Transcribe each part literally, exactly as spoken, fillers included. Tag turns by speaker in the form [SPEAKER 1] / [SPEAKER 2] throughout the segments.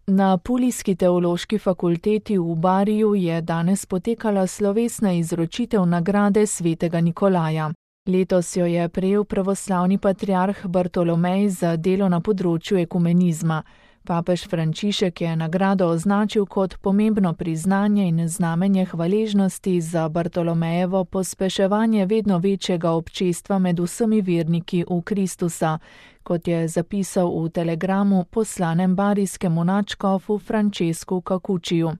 [SPEAKER 1] Na Apulijski teološki fakulteti v Bariju je danes potekala slovesna izročitev nagrade svetega Nikolaja. Letos jo je prejel pravoslavni patriarh Bartolomej za delo na področju ekumenizma. Papež Frančišek je nagrado označil kot pomembno priznanje in znamenje hvaležnosti za Bartolomejevo pospeševanje vedno večjega občestva med vsemi verniki v Kristusa, kot je zapisal v telegramu poslanem barijskemu nadškofu Francesku Cacuciju.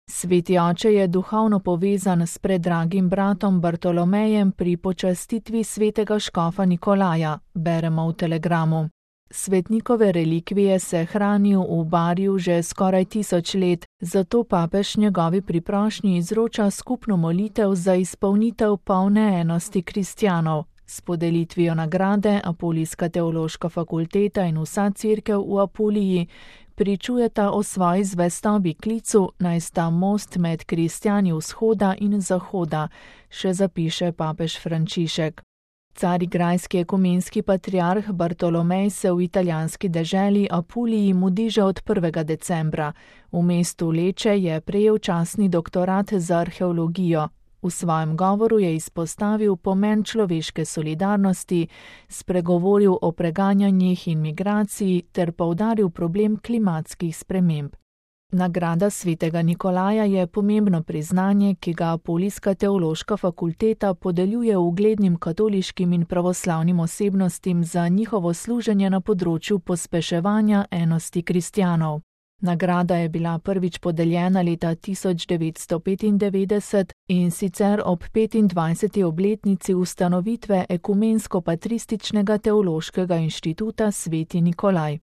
[SPEAKER 1] Sveti oče je duhovno povezan s predragim bratom Bartolomejem pri počastitvi svetega škofa Nikolaja, beremo v telegramu. Svetnikove relikvije se hranijo v Bariju že skoraj tisoč let, zato papež njegovi priprošnji izroča skupno molitev za izpolnitev polne enosti kristjanov. S podelitvijo nagrade Apulijska teološka fakulteta in vsa cerkev v Apuliji pričujeta o svoji zvestobi klicu, naj sta most med kristjani vzhoda in zahoda, še zapiše papež Frančišek. Carigrajski ekumenski patriarh Bartolomej se v italijanski deželi Apuliji mudi že od prvega decembra. V mestu Leče je prejel častni doktorat za arheologijo. V svojem govoru je izpostavil pomen človeške solidarnosti, spregovoril o preganjanjih in migraciji ter poudaril problem klimatskih sprememb. Nagrada svetega Nikolaja je pomembno priznanje, ki ga Apulijska teološka fakulteta podeljuje uglednim katoliškim in pravoslavnim osebnostim za njihovo služenje na področju pospeševanja enosti kristjanov. Nagrada je bila prvič podeljena leta tisoč devetsto petindevetdeset in sicer ob petindvajseti obletnici ustanovitve Ekumensko-patrističnega teološkega inštituta Sveti Nikolaj.